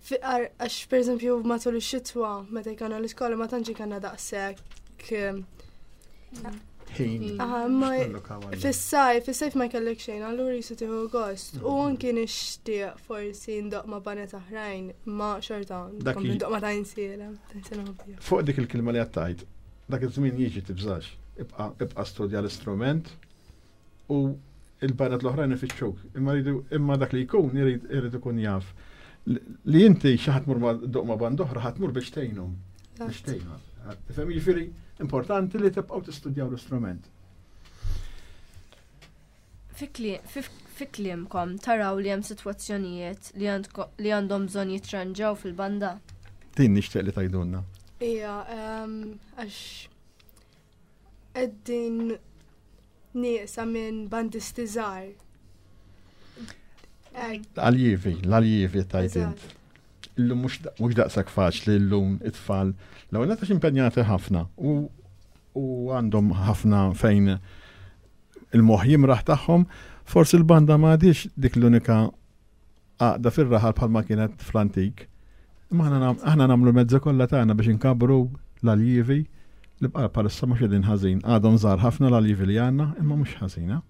għax per eżempju matul ix-xitwa meta jkollna l-iskola ma tantx ikollna daqshekk
Ħin.
Aha, ma fis-sajf, fis-sajf ma jkollek xejn, allura jisu tieħu gost. U anki nixtieq forsi ndoqq ma' baned oħrajn, ma xorta
Dak
nkompli
i-
ndoqq ma' ta' Għajnsielem. Ta' Għajnsielem ovvja.
Fuq dik il-kelma li għattajt, dak iż-żmien jiġi tibżax. Ibqa' ibqa' studja l-istrument u il-baned l-oħrajn ifittxuk. Imma rridu imma dak li jkun irid irid ikun jaf li inti xi ħadd mur ma' doq ma' band oħra ħadd mur biex tgħinhom. Biex tgħinhom. Tifhem jiġifieri importanti li tibqgħu tistudjaw l-istrument.
Fi kli- fi- Fi kliemkom taraw li hemm sitwazzjonijiet li għandko- li għandhom bżonn jitranġaw fil-banda.
Din nixtieq li tgħidulna.
Ija, em, għax qegħdin nieqsa minn bandisti żgħar. Hekk,
L-aljievi, l-aljievi tajt int.
eżatt.
Illum mhux da- mhux daqshekk faċli llum it-tfal. L-ewwel nett għax impenjati ħafna u u għandhom ħafna fejn il-moħħ jimraħ tagħhom, forsi l-banda ma għadix dik l-unika għaqda fir-raħal bħalma kienet fl-antik. Imma aħna nam- aħna nagħmlu mezzi kollha tagħna biex inkabru l-aljievi li bqa' bħalissa mhux qegħdin ħażin. Għadhom żgħar ħafna l-aljievi li għandna, imma mhux ħażina.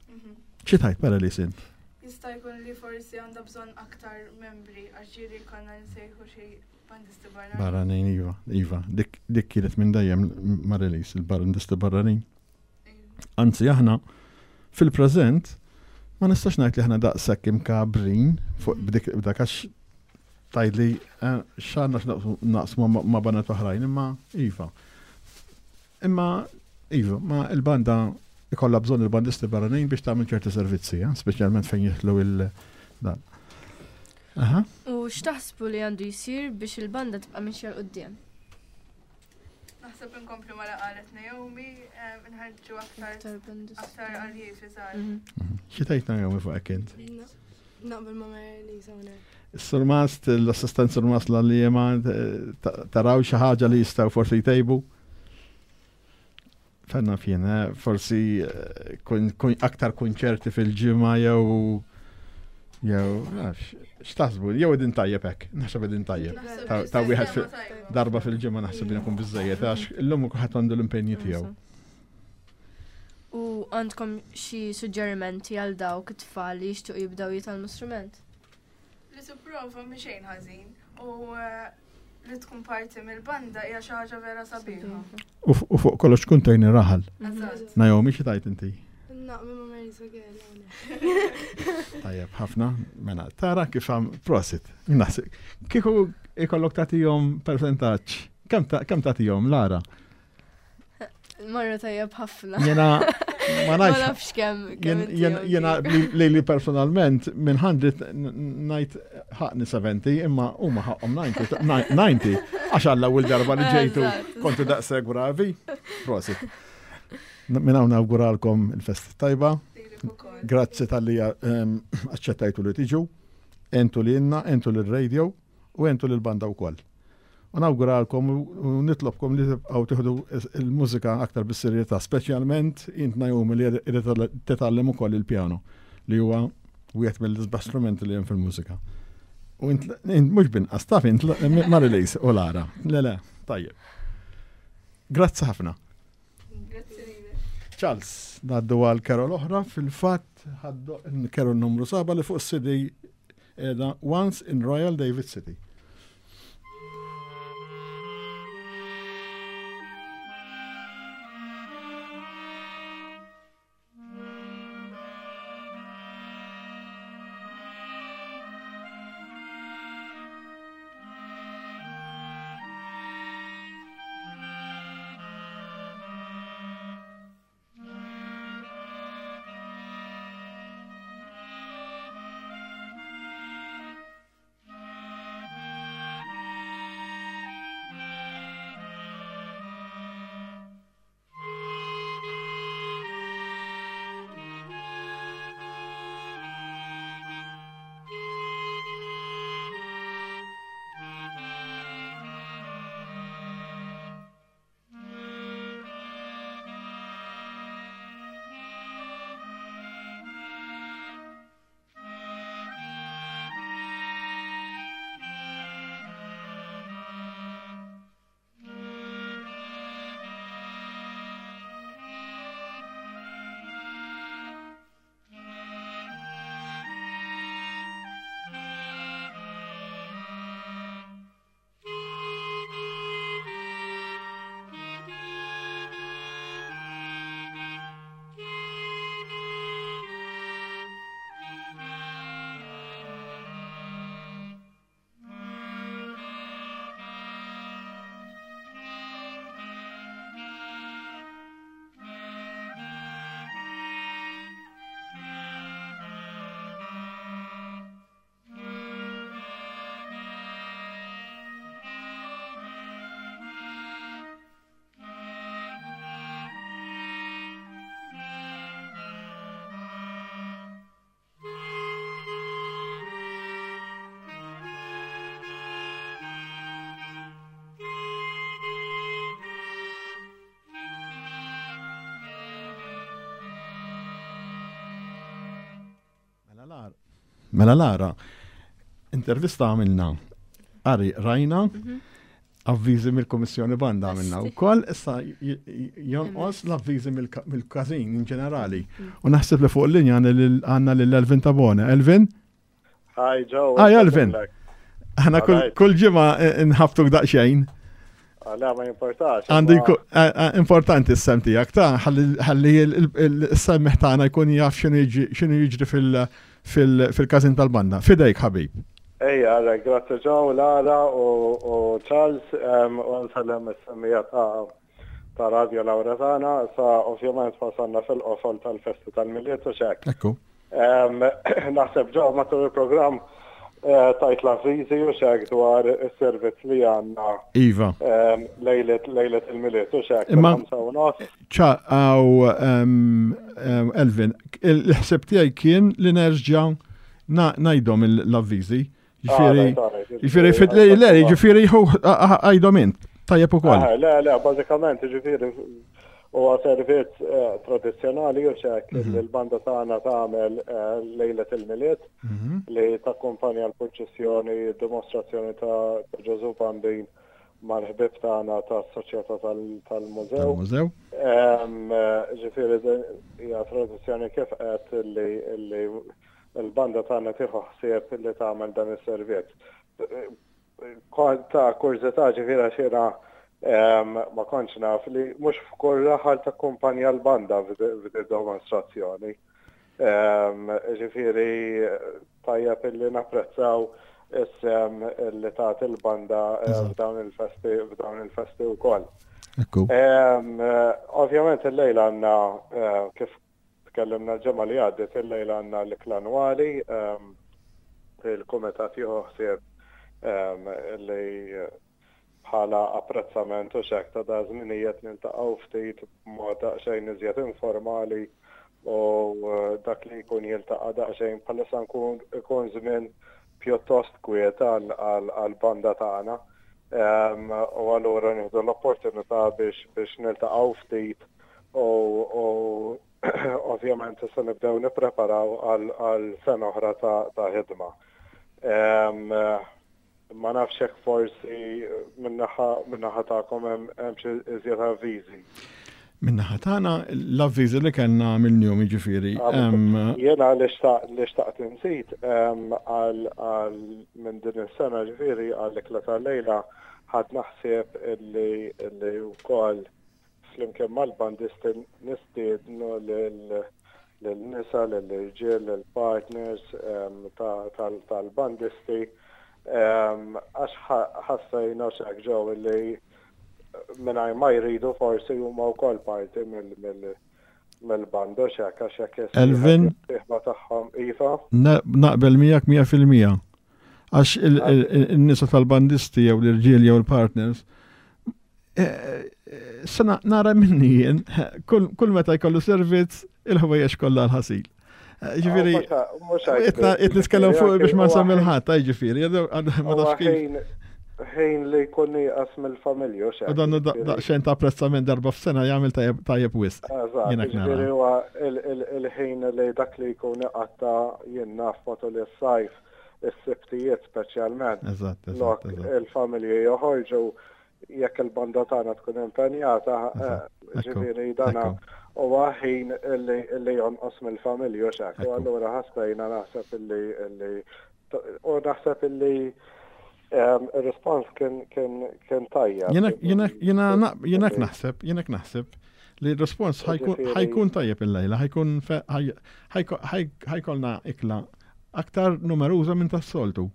Mhm.
Xi tajt pera li sint?
Jista' jkun li forsi għandha bżonn aktar membri għax ġieli konna nsejħu xi bandisti barra.
Barranin, iva, iva. Dik, dik kienet minn dejjem ma' release, il-bandisti barranin. Anzi, aħna fil-preżent ma nistax ngħid li aħna daqshekk imkabrin fuq b'dik b'dak għax tgħidli eh, x'għandna x'naqsmu naqsmu ma- ma' baned oħrajn, imma iva. Imma iva, ma il-banda ikollha bżonn il-bandisti barranin biex tagħmel ċerti servizzi, eh, speċjalment fejn jidħlu il dan. Aha.
U x'taħsbu li għandu jsir biex il-banda tibqa' mixja 'l quddiem?
Naħseb inkomplu ma qalet Naomi, em, nħarġu aktar
Aktar bandisti.
aktar aljievi żgħar.
Mhm.
Xi tgħid Naomi fuq hekk int?
Naqbel ma' Mary-Lisa hawnhekk.
Surmast, l-assistent surmast l-għalliema, taraw xi ħaġa li jistgħu forsi jtejbu? Fenna fjena, eh, forsi eh, kun, kun, aktar konċerti fil-ġimgħa jew jew nafx, x'taħsbu, jew din tajjeb hekk, naħseb din tajjeb.
Naħseb
Ta'
li
ta' wieħed
sistema
fi-
tajba.
darba fil-ġimgħa naħseb li nkun biżejjed għax illum kulħadd għandu l-impenji tiegħu.
U għandkom xi suġġerimenti għal dawk it-tfal li jixtiequ jibdew jitgħallmu strument?
Li tipprova mhi xejn ħażin u eh, li tkun parti mill-banda hija xi ħaġa vera sabiħa.
U f- u fuq kollox tkun tgħin ir-raħal.
Eżatt.
Naomi xi tajt inti?
Naqbel ma' Mary-Lisa Gale hawnhekk.
Tajjeb, ħafna, mela, tara kif għam, prosit, naħseb. Kieku ikollok tagħtihom percentaġġ, kemm ta- kemm tagħtihom, Lara?
Marru tajjeb ħafna.
Jena, ma
Ma
nafx,
nafx kemm kemm
jen- jen-
intihom
jena
dik.
li li li personalment minn mija ngħid ħaqni sebgħin, imma huma ħaqhom disgħin, għax għalla ewwel darba li ġejtu
Eżatt.
kontu daqshekk bravi. Prosit. Minn hawn nawguralkom il-festa tajba.
Lilek ukoll.
Grazzi talli ehm, aċċettajtu li tiġu, entu li inna, entu li radio u entu li l-banda u koll. U nawguralkom u nitlobkom li tibqgħu tieħdu il-mużika aktar bis-serjetà, speċjalment int Naomi li irid titgħallem ukoll il-pjano li huwa wieħed mill-isbaħ strumenti li hemm fil-mużika. U int int mhux binqas taf int Marilise u Lara. Le le, tajjeb. Grazzi ħafna.
Grazzi lilek.
Charles, naddu għal Carol oħra, fil-fatt ħaddu Carol numru seba li fuq C D edha Once in Royal David City.
Thank
Mela Lara, intervista għamilna, qari rajna,
Mhm.
avviżi mill-Kummissjoni Banda għamilna
Esti.
wkoll, issa j- j- jonqos l-avviżi mill- mill-każin in ġenerali. U naħseb li fuq il-linja għandna lil Elvin Tabone. Elvin?
Hi Joe.
Hi, Elvin. Aħna kull-
Alright.
kull ġimgħa nħabtuk daqsxejn.
Ah, Le, ma jimportax.
Għandu
imma-
jkun eh, eh, importanti s-sem tiegħek ta' ħalli ħalli il-semmiegħ tagħna jkun jaf x'inhu jiġi- x'inhu jiġri fil- fil- fil-każin tal-banda. Fidejk ħabib.
Ejja, għalek, grazzi Joe, Lara u u Charles, em, u nsellem is-semmiegħa ta' ta' Radio Lauretana, sa ovvjament wasalna fil-qofol tal-festi tal-Milied u hekk.
Ekku.
Em, Naħseb Joe matul il-programm eh, tajt l-avviżi u hekk dwar is-servizz li għandna
Iva.
em, lejlet lejlet il-Milied u hekk.
Imma-
fil-ħamsa u nofs.
ċa, għaw, em, em, Elvin, il-ħseb tiegħi kien li nerġa' na- ngħidhom l-avviżi. Ġifieri,
Alright, alright,
ġifieri, fit- le, le, ġifieri, għajdhom int. Tajjeb ukoll.
Ah, Le, le, bażikament, ġifieri, huwa servizz eh, tradizzjonali u hekk li l-banda tagħna tagħmel eh, lejlet il-Milied li takkumpanja l-purċissjoni, dimostrazzjoni ta' ta' Ġesu Bambin mal-ħbib tagħna tas-Soċjetà tal- tal-Mużew.
Tal-mużew.
Em, eh, Ġifieri din hija tradizzjoni kif qed li li l-banda tagħna tieħu ħsieb li tagħmel dan is-servizz. Kont ta' kurżità ġifieri għax jiena em, ma kontx naf li mhux f'kull raħal takkumpanja l-banda f'di dimostrazzjoni. Em, Ġifieri tajjeb illi napprezzaw is-sem li tagħti il-banda eh,
Eżatt.
f'dawn il-festi f'dawn il-festi wkoll.
Ekku.
Em, eh, Ovvjament il-lejla għandna eh, kif tkellimna l-ġimgħa li għaddiet il-lejla għandna l-ikla annwali, em, il-kumitat jieħu ħsieb em, li bħala apprezzament u hekk ta' da żminijiet niltaqgħu ftit b'mod daqsxejn iżjed informali u eh, dak li jkun jiltaqa' daqsxejn bħalissa nkun ikun żmien pjuttost kwiet għal-banda tagħna. Em, U allura nieħdu l-opportunità biex biex niltaqgħu ftit u u ovvjament issa nibdew nippreparaw għal għal sena oħra ta' ta' ħidma. Em, Ma nafx hekk forsi min-naħa min-naħa tagħkom hemm hemm xi iżjed avviżi.
Min-naħa tagħna l-avviżi li kellna mill-jum jiġifieri. em,
Jena li xtaq li xtaqt inżid em, għal għal minn din is-sena ġifieri għal ikla tal-lejla ħadd naħseb illi illi wkoll flimkien mal-bandisti nistiednu lil lil-nisa, lill-irġiel, lill-partners em, ta- tal- tal-bandisti em, għax ħa- ħassejna hekk ġew illi mingħajr ma jridu forsi huma wkoll parti mill- mill- mill-banda hekk għax hekk
Elvin?
is-sieħba tagħhom iva.
Na- Naqbel miegħek mija fil-mija. Għax il- il- il-nisa tal-bandisti jew l-irġiel jew il-partners, eh, eh, sena nara minni jien, kull kull meta jkollu servizz, il-ħwejjeġ kollha l-ħasil. Eh, Ġifieri,
Mhux
qed nitkellem fuq biex ma nsemmi l-ħadd, ta' ġifieri, ma tafx kif.
ħin ħin li jkun nieqas mill-familja u
U dan daqsxejn ta' apprezzament darba f'sena jagħmel tajjeb tajjeb wisq.
Eżatt,
Jiena nara.
ġifieri huwa il- il- il-ħin li dak li jkun iqatta jien naf matul is-sajf, is-sibtijiet speċjalment.
Eżatt, eżatt,
Lok
eżatt.
il-familji joħorġu jekk il-banda tagħna tkun impenjata, eh,
Eżatt, ekku,
ġifieri dana
ekku.
huwa ħin illi illi jonqos mill-familji u hekk. U
Ekku.
allura ħassejna naħseb illi illi u naħseb illi em, ir-rispons kien kien kien tajjeb.
Jiena jiena jiena naq- jiena naħseb, jiena naħseb li r-respons ħajkun
Ġifieri-
ħajkun tajjeb il-lejla, ħajkun fe- ħaj- ħajko- ħaj- ħajkolna ikla aktar numeruża minn tas-soltu.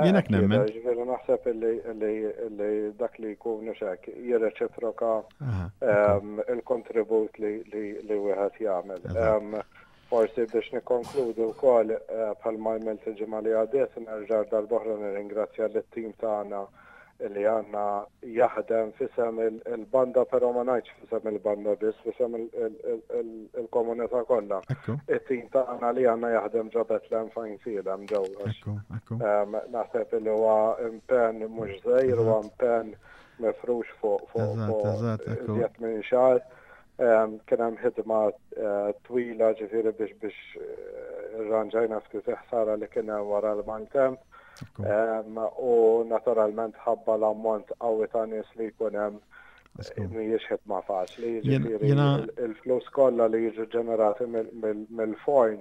Jiena
Akid,
nemmen.
Ġifieri naħseb illi illi illi dak li jkun hekk jirreċiproka
Aha,
em, il-kontribut li li li wieħed jagħmel.
Eżatt.
Em, Forsi biex nikkonkludu wkoll eh, bħalma għamilt il-ġimgħa li għaddiet nerġa' darb'oħra nirringrazzja lit-tim tagħna li għandna jaħdem f'isem il- il-banda, però ma ngħidx f'isem il-banda biss, f'isem il- il- il- il- il-komunità kollha.
Ekku,
It-tim tagħna li għandna jaħdem ġo Bethlehem f'Għajnsielem ġew għax
ekku, ekku.
Em, Naħseb li huwa impenn mhux żgħir, huwa impenn mifrux fuq fuq
Eżatt,
fuq
eżatt, ekku.
iżjed minn xahar. Kien hemm ħidma eh, twila ġifieri biex biex eh, irranġajna ftit ħsara li kien hemm wara l-maltemp. U naturalment ħabba l-ammont qawwi ta' nies li jkun hemm mhijiex ħidma faċli, ġifieri il-flus kollha li jiġu ġenerati mill-forn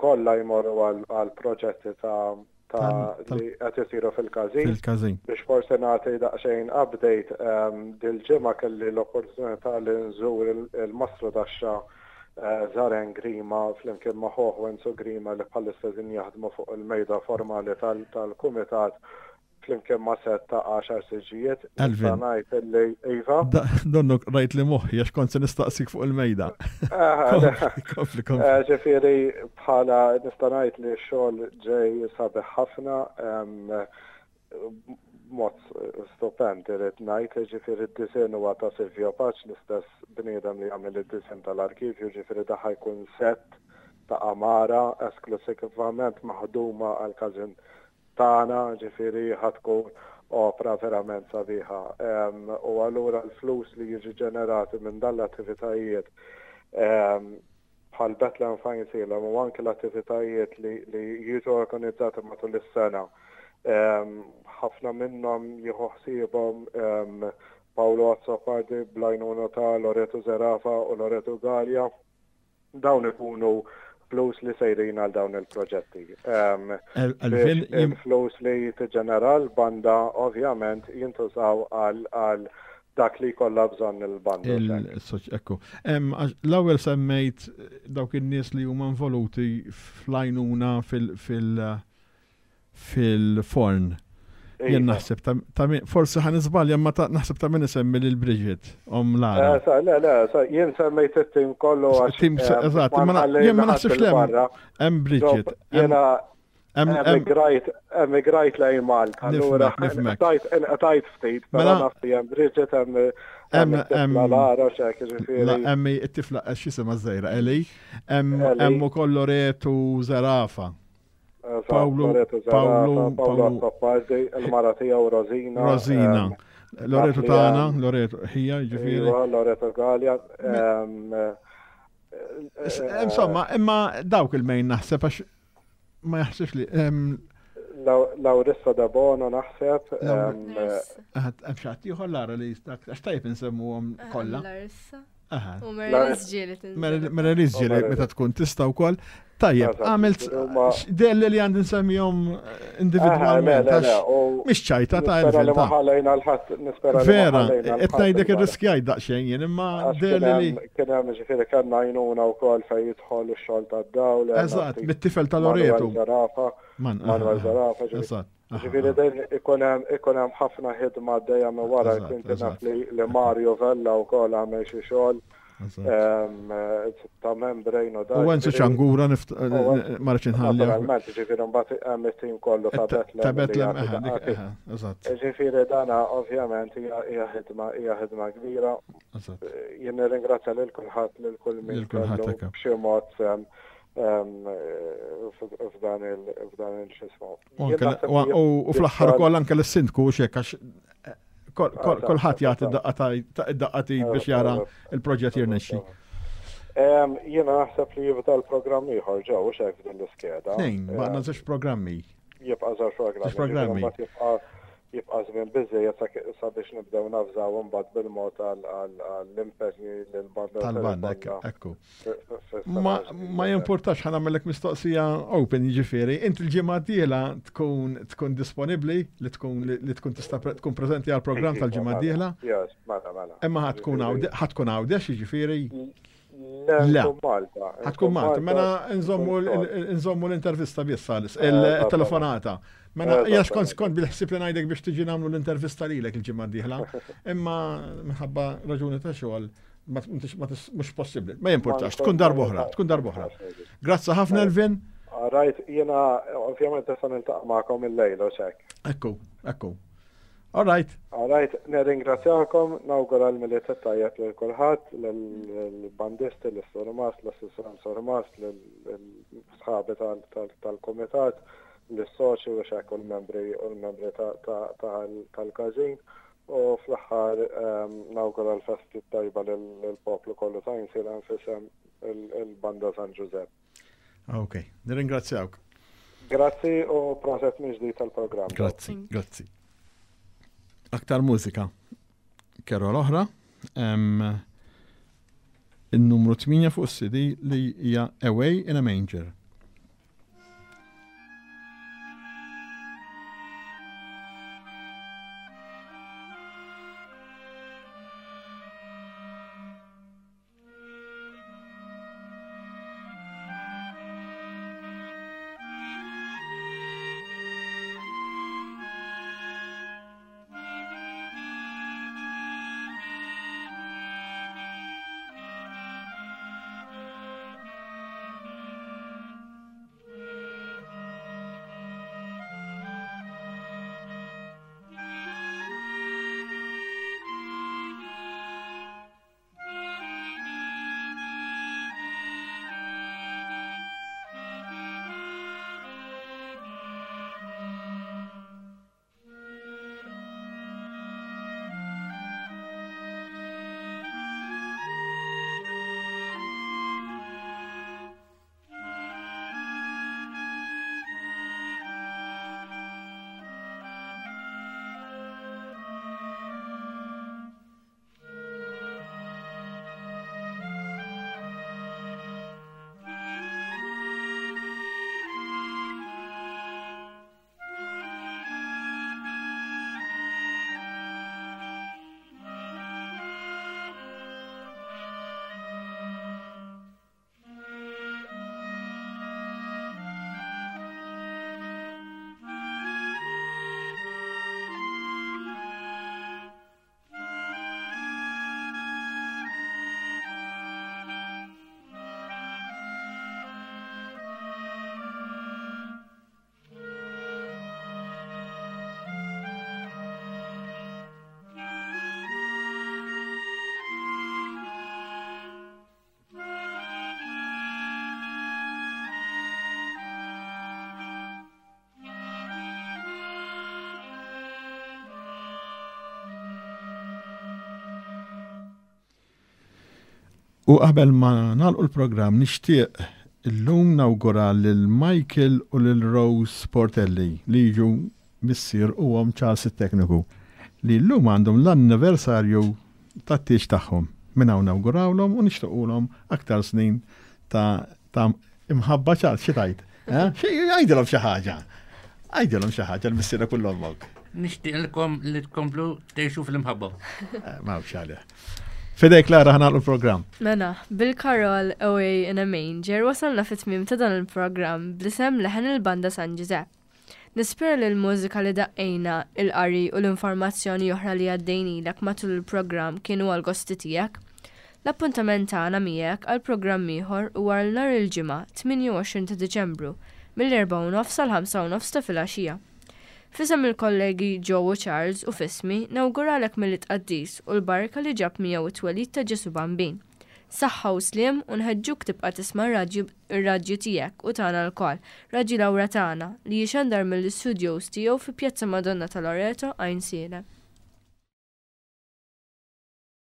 kollha jmorru għal proġetti ta' ta' li qed isiru fil-każin.
Fil-każin.
Biex forsi nagħti daqsxejn update, ehm, dil-ġimgħa kelli l-opportunità li nżur il-mastru taxxa eh, Zaren Grima flimkien ma' ħuh Wenzu Grima li bħalissa din jaħdmu fuq il-mejda formali tal-kumitat flimkien ma' set ta' għaxar siġġijiet.
Alvin.
Ngħid li iva.
Donnu rajt li moħħi għax kont se nistaqsik fuq il-mejda. Kompli, kompli.
Eh, ġifieri bħala nista' ngħid li x-xogħol ġej sabiħ ħafna mod stupend irrid ngħid, ġifieri d-disinn huwa ta' Silvio Paċ, l-istess bniedem li jagħmel id-disinn tal-arkivju, ġifieri daħ jkun set ta' għamara esklusivament maħduma għal każin tagħna, ġifieri ħa tkun opra verament sabiħa. U allura l-flus li jiġi ġenerati minn dan l-attivitajiet bħal Bethlehem Fajnsilem u anke l-attivitajiet li, li jiġu organizzati matul is-sena. Ħafna minnhom jieħu ħsiebhom Paolo Azzopardi bl-għajnuna ta' Loreto Zerafa u Loreto Gallia. Dawn ikunu flus li sejrin għal dawn il-proġetti. Il-flus li tiġġenera l-banda ovvjament jintużaw għal dak li kollha bżonn il-banda.
Ekku. L-ewwel semmejt dawk in-nies li huma involuti fl-għajnuna fil-forn. Jien naħseb ta' forsi ħa niżbalja ma naħseb ta' min isemmi lil Bridget om Lara.
Eh, le, le, jien semmejt it-tim kollu għax.
Tim eh, eżatt, jien ma naħsibx li hemm Bridget.
Jiena emigrajt emigrajt lejn Malta, allura tajt ftit, però naf li hemm Bridget hemm hemm Lara x'hekk
ġifieri. Hemm it-tifla x'isimha żgħira Eli, hemm ukoll Loretu Zerafa.
Paolo, Paolo, Paolo Azzopardi, il-mara tiegħu Rosina.
Rosina. Loreto tagħna, Loreto ħija, ġifieri.
Iva, Loreto Gallia.
Insomma, imma dawk il-mejn naħseb għax ma jaħsibx li.
Laurissa da Bono naħseb.
Hemm xi ħadd ieħor Lara li għax tajjeb insemmuhom kollha.
Larissa. U Mary ġieli
Mary ġieli meta tkun tista' wkoll. Tajjeb, għamilt delli li għandi nsemmihom individwalment. Mhix ċajta ta'
Vera,
qed ngħidlek irriskjajt daqsxejn jien imma delli li.
Kien hemm ġifieri kellna għajnuna wkoll fejn jidħol ix-xogħol tad-dawl.
Eżatt, mit-tifel ta' Loreto.
Manuel Zarafa.
Eżatt.
Ġifieri dejjem ikun hemm ikun hemm ħafna ħidma għaddejja minn wara kien naf li Mario Vella wkoll għamel xi xogħol ta' membrane u
dan. U Enzo Ċangura ma rridx inħalli.
Naturalment, ġifieri mbagħad hemm it-tim kollu ta' Betlem.
Ta' Betlem, eżatt.
Ġifieri dana ovvjament hija ħidma hija ħidma kbira. Jien nirringrazzja lil kulħadd lil kull min kellu b'xi mod f'dan il-xismu.
U fl-aħħar ukoll anke l-sindku xek għax kulħadd jagħti id-daqqa biex jara il-proġett jirnexxi.
Jiena naħseb li jibda l-programm ieħor ġew xek f'din l-iskeda.
Tnejn, baqna żewġ programmi.
Jibqa' żewġ programmi.
Programmi.
Jibqa' żmien biżejjed sabiex nibdew nafżaw imbagħad bil-mod għall-impenji lill-banda.
Tal-banda, ekku. Ma jimpurtax ħa nagħmellek mistoqsija open jiġifieri, inti l-ġimgħa d-dieħla tkun tkun disponibbli li tkun li tkun tista' tkun preżenti għall-programm tal-ġimgħa d-dieħla?
Yes, mela mela.
Imma ħa tkun ħa tkun Għawdex jiġifieri?
Le, Malta.
Ħa tkun Malta, mela nżommu l-intervista biss il-telefonata. Mela, jax kont kont bil-ħsieb li ngħidlek biex tiġi nagħmlu l-intervista lilek il-ġimgħa d-dieħla, imma minħabba raġuni ta' xogħol mhux possibbli. Ma jimpurtax, tkun darb'oħra, tkun darb'oħra. Grazzi ħafna Elvin.
Rajt, jiena ovvjament issa niltaqa' magħkom il-lejl u xek.
Ekku, ekku. All right.
All right, nirringrazzjakom, nawgura l-Milied tajjeb lil kulħadd, lill-bandisti, lis-surmast, l-assistent surmast, lill-sħabi tal-kumitat, l-soċi u xek u l-membri u l-membri tal-każin U fl-aħħar nawgura l-festi tajba lill-poplu kollu ta' Għajnsielem f'isem il-Banda San Ġużepp.
Ok, nirringrazzjawk.
Grazzi u proset minn ġdid tal-programm.
Grazzi, grazzi. Aktar mużika. Carol oħra. Il-numru tmienja fuq C D li hija Away in a Manger. U qabel ma nagħlqu l-programm, nixtieq illum nawgura lil Michael u lil Rose Portelli, li jiġu missier u omm Charles it-tekniku, li llum għandhom l-anniversarju tat-tieġ tagħhom. Minn hawn nawgurawlhom u nixtiequlhom aktar snin ta' ta' imħabba. Charles, xi tgħid? Eh? Xi għajdilhom xi ħaġa? Għajdilhom xi ħaġa lil missierek u 'l ommok.
Nixtieqilkom li tkomplu tgħixu fl-imħabba.
Eh, ma għalih. F'idejk, Lara, ħa nagħlqu l-programm.
Mela, bil-Carol Away in a Manger wasalna fit-tmiem ta' dan il-programm bl-isem Leħen il-Banda San Giuseppe. Nispera li l-mużika li daqqejna, il-qari u l-informazzjoni oħra li għaddejnilek matul il-programm kienu għal gosti tiegħek. L-appuntament tagħna miegħek għal programm ieħor huwa għal nhar il-Ġimgħa tmienja u għoxrin ta' Diċembru mill-erbgħa u nofs għal ħamsa u nofs ta' filgħaxija. F'isem il-kollegi Joe u Charles u f'ismi nawguralek Milied qaddis u l-barka li ġab miegħu it-twelid ta' Ġesu Bambin. Saħħa u sliem u nħeġġuk tibqa' tisma' r-radju tiegħek u tagħna lkoll, Radju Lawretana, li jixandar mill-studios tiegħu fi Pjazza Madonna ta' Loreto, Għajnsielem.